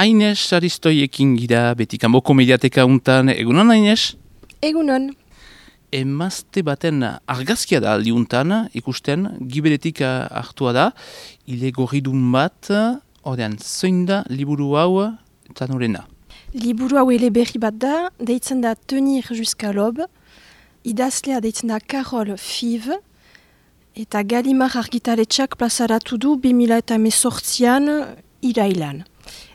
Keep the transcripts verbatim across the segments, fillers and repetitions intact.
Aines Saristoiekin gira, beti kanboko mediateka untan, egunon Aines? Egunon. Emazte baten argazkia da aldiuntan, ikusten, giberetik hartua da, ile gorridun bat, ordean, zoin da liburu hau eta norena? Liburu hau eleberri bat da, deitzen da Tenir jusqu'à l'aube, idazlea deitzen da Karol Five, eta Galimar argitaletxak plazaratu du bi mila hemezortzian irailan.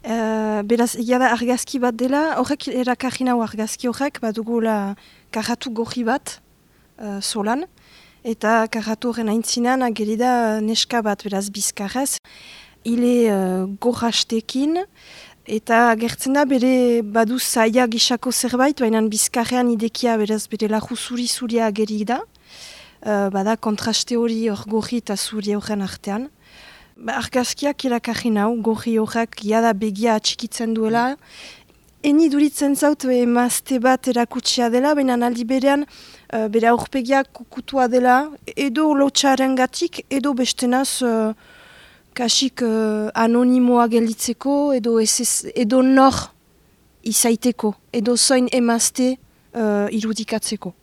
Uh, beraz, egia da argazki bat dela, horrek erakarri nau argazki horrek, badugula karratu gorri bat uh, solan, eta karratu horren aintzinan ageri da neska bat beraz bizkarrez, hile uh, gorrastekin, eta gertzen da bere badu zaila gisako zerbait, baina bizkarrean idekia beraz bere lahu zuri-zuria ageri da, uh, bada kontraste hori hor gorri eta zuri horren artean. Ba, argazkiak irakarri nau, gorri horrek jada begia atxikitzen duela. Eni duritzen zaut emazte bat erakutsia dela, baina aldi berean uh, bere aurpegiak kukutua dela, edo lotxaren gatik, edo bestenaz uh, kasik uh, anonimoa gelditzeko, edo, ez, edo nor izaiteko, edo zoin emazte uh, irudikatzeko.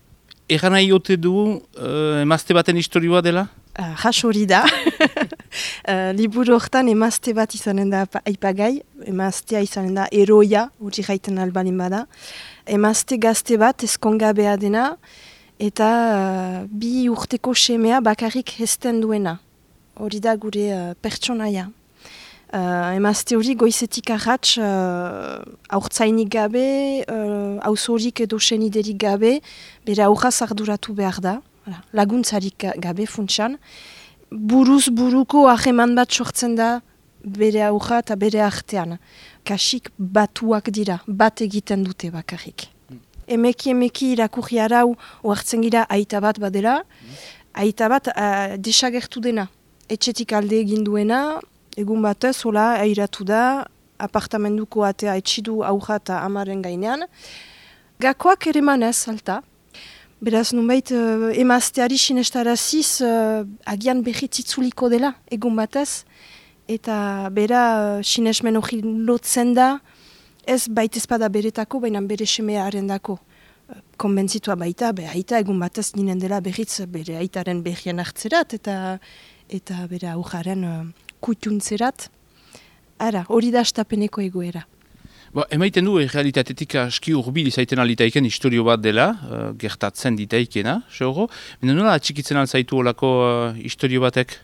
Egan nahi ote du uh, emazte baten historioa dela? Uh, Jas hori da. uh, liburu hortan emazte bat izanen da aipagai, emaztea izanen da eroia, hori jaiten albalin bada. Emazte gazte bat ezkongabea dena, eta uh, bi urteko semea bakarrik hezten duena. Hori da gure uh, pertsonaia. Uh, emazte hori goizetik arratz uh, aurtzainik gabe, uh, auzorik edo seniderik gabe, bere aurraz arduratu behar da. Laguntzarik gabe funtsan, buruz buruko aheman bat sortzen da bere aurra eta bere artean. Kasik batuak dira, bat egiten dute bakarrik. Mm. Emeki emeki irakurri arau oartzen gira aita bat badela, mm. aita bat uh, desagertu dena. Etxetik alde egin duena, egun batez, hola, airatu da, apartamentuko atea etxidu aurra eta amaren gainean. Gakoak ere manez, alta. Beraz, nunbait, uh, emazteari sinestaraziz uh, agian berritzitzuliko dela, egun batez, eta bera uh, sinesmen hori lotzen da, ez baita ezpada beretako, baina bere semearen dako. Uh, konbentzitua baita, be aita egun batez ninen dela berritz bere aitaren berrien hartzerat, eta, eta bere aujaren uh, kutuntzerat. Ara, hori da astapeneko egoera. Ba, emaiten du, realitatetik aski urbil izaiten alitaiken historio bat dela, uh, gertatzen ditaikena, seuro. Mena nola atxikitzen alzaitu olako uh, historio batek?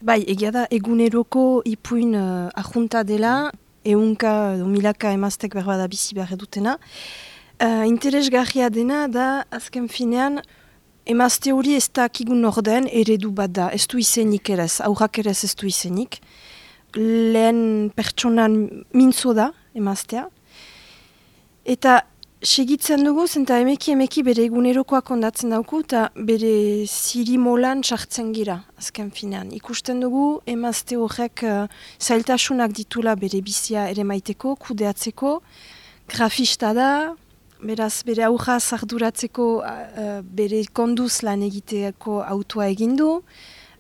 Bai, egia da, eguneroko ipuin uh, ajunta dela, eunka, milaka emaztek berbada bizi behar edutena. Uh, interesgarria dena da, azken finean, emazte hori ez da kigun orden eredu bat da, ez du izenik erez, aurrak erez ez du izenik. Lehen pertsonan mintzo da, emaztea. Eta segitzen dugu, zenta emeki emeki bere egunerokoak kondatzen dauku, eta bere zirimolan txartzen gira, azken finean. Ikusten dugu, emazte horrek uh, zailtasunak ditula bere bizia ere maiteko, kudeatzeko, grafista da, beraz bere aurra zarduratzeko uh, bere konduz lan egiteako autoa egindu,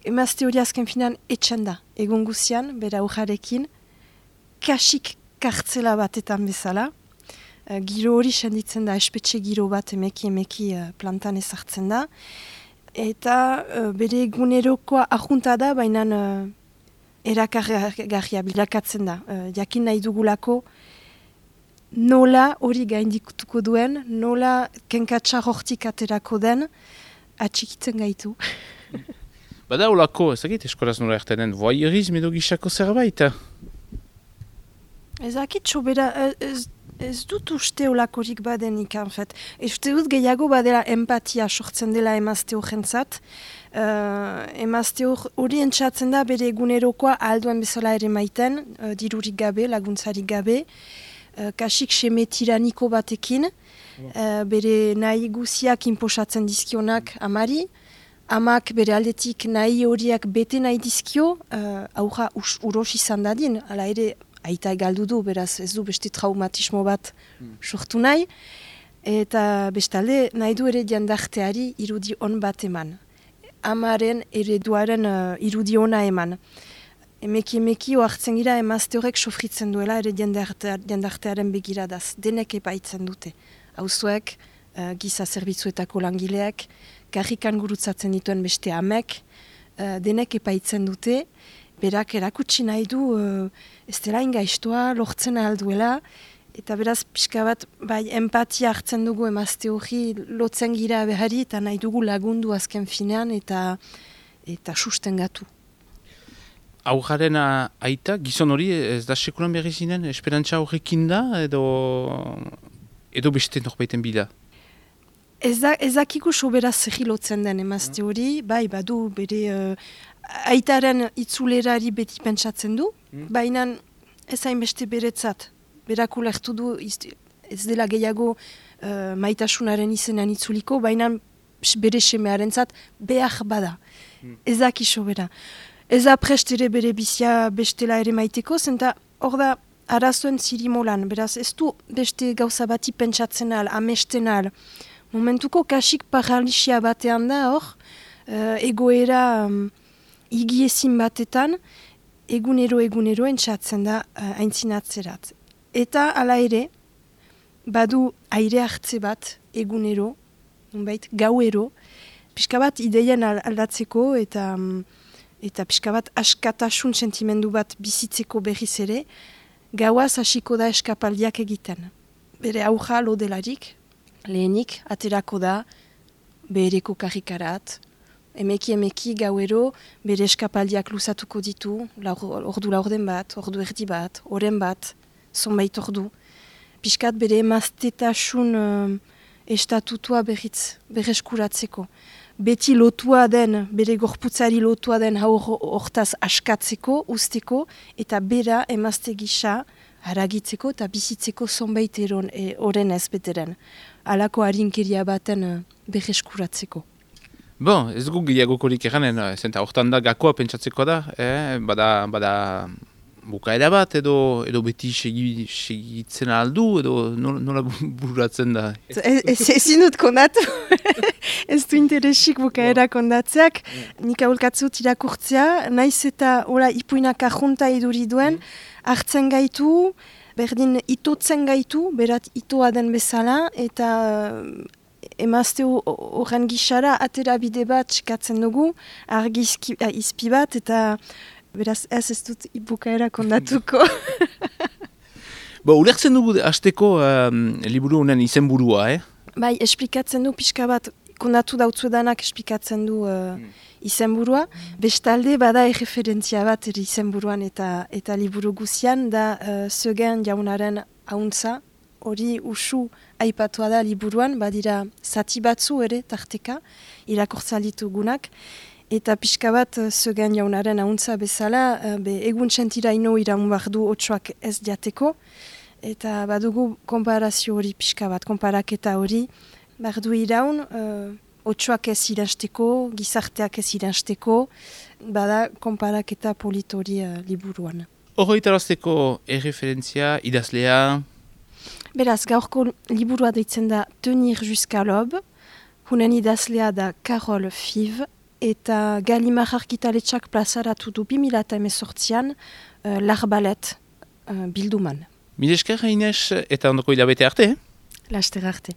emazte hori azken finean etxen da, egun guzian, bere aurrarekin, kasik kartzela batetan bezala. Uh, giro hori senditzen da, espetxe giro bat emeki emeki uh, plantan ezartzen da. Eta uh, bere egunerokoa ajunta da, baina uh, erakargarria bilakatzen da. Uh, jakin nahi dugulako nola hori gaindikutuko duen, nola kenkatsa hortik aterako den, atxikitzen gaitu. Bada olako, ezagit eskolaz nola ertenen, voyeurisme edo gisako zerbait? Ezakit, sobera, ez, ez dut uste olakorik badenik, en fet. Ez dut gehiago badela empatia sortzen dela emazte horrentzat. Uh, emazte hori entzatzen da bere egunerokoa alduen bezala ere maiten, uh, dirurik gabe, laguntzarik gabe, uh, kasik seme tiraniko batekin, uh, bere nahi guziak inposatzen dizkionak amari, amak bere aldetik nahi horiak bete nahi dizkio, uh, aurra uros izan dadin, ala ere aita galdu du, beraz ez du beste traumatismo bat hmm. sortu nahi, eta bestalde nahi du ere diandarteari irudi on bat eman. Amaren ereduaren uh, irudi ona eman. emeki emeki oartzen gira emazte horrek sofritzen duela ere jendartearen begiradaz. Denek epaitzen dute. Auzoek, uh, giza zerbitzuetako langileak, karrikan gurutzatzen dituen beste amek, uh, denek epaitzen dute, berak erakutsi nahi du uh, ez dela ingaiztoa, lortzen alduela, eta beraz pixka bat bai, empatia hartzen dugu emazte hori lotzen gira behari eta nahi dugu lagundu azken finean eta eta sustengatu. Aujaren aita, gizon hori ez da sekulan berri zinen, esperantza horrekin da edo, edo beste norbaiten bila? Ez da, ez dakigu sobera zerri lotzen den emazte hori, bai badu bere uh, aitaren itzulerari beti pentsatzen du, mm. baina ez hainbeste beretzat. Berak ulertu du ez dela gehiago uh, maitasunaren izenean itzuliko, baina bere semearen zat behar bada. Mm. Ez daki sobera. Ez da prest ere bere bizia bestela ere maiteko, zenta hor da arazoen zirimolan, beraz ez du beste gauza bati pentsatzen al, amesten al. Momentuko kasik paralisia batean da hor, uh, egoera um, igiezin batetan, egunero egunero entzatzen da uh, aintzinatzerat. Eta hala ere, badu aire hartze bat egunero, nunbait, gauero, pixka bat ideien aldatzeko eta um, eta pixka bat askatasun sentimendu bat bizitzeko berriz ere, gauaz hasiko da eskapaldiak egiten. Bere auja lodelarik, lehenik, aterako da, bereko karrikarat, emeki emeki gauero, bere eskapaldiak luzatuko ditu, laur, ordu laurden bat, ordu erdi bat, oren bat, zonbait ordu. Piskat bere emaztetasun uh, estatutua berriz, berreskuratzeko. Beti lotua den, bere gorputzari lotua den hortaz askatzeko, usteko, eta bera emazte gisa haragitzeko eta bizitzeko zonbait oren ez beteren. Halako harinkeria baten uh, berreskuratzeko. Bon, ez gu gehiagokorik eranen, zenta hortan da gakoa pentsatzeko da, eh? bada, bada bukaera bat edo edo beti segi, segitzen aldu edo nola, nola buratzen da? Ezin dut kondatu, ez du interesik bukaera kondatzeak, nik aholkatzut irakurtzea, naiz eta ora, ipuinak ajunta iduri duen, hartzen gaitu, berdin itotzen gaitu, berat itoa den bezala, eta emazte horren gixara atera bide bat txekatzen dugu, argi izpi bat, eta beraz ez ez dut bukaera kondatuko. Bo, ulertzen dugu hasteko um, liburu honen izenburua, eh? Bai, esplikatzen du pixka bat, kondatu dautzuedanak esplikatzen du uh, mm. izenburua. Bestalde, bada erreferentzia bat ere izenburuan eta eta liburu guzian, da uh, Zeugen jaunaren hauntza, hori usu aipatua da liburuan, badira zati batzu ere tarteka, irakurtza ditugunak. Eta pixka bat, Zeugen jaunaren hauntza bezala, be, egun txentira ino iraun behar du otsoak ez diateko. Eta badugu konparazio hori pixka bat, konparaketa hori. Behar du iraun, uh, otsoak ez iransteko, gizarteak ez iransteko. Bada konparaketa polit hori uh, liburuan. Horo itarazteko erreferentzia, idazlea? Beraz, gaurko liburua deitzen da Tenir jusqu'à l'aube. Hunen idazlea da Carole Five. Eta Gallimard argitaletxak plazaratu du bi mila hemezortzian uh, L'arbalet uh, bilduman. Mil esker, Inez, eta ondoko hilabete arte? Laster arte.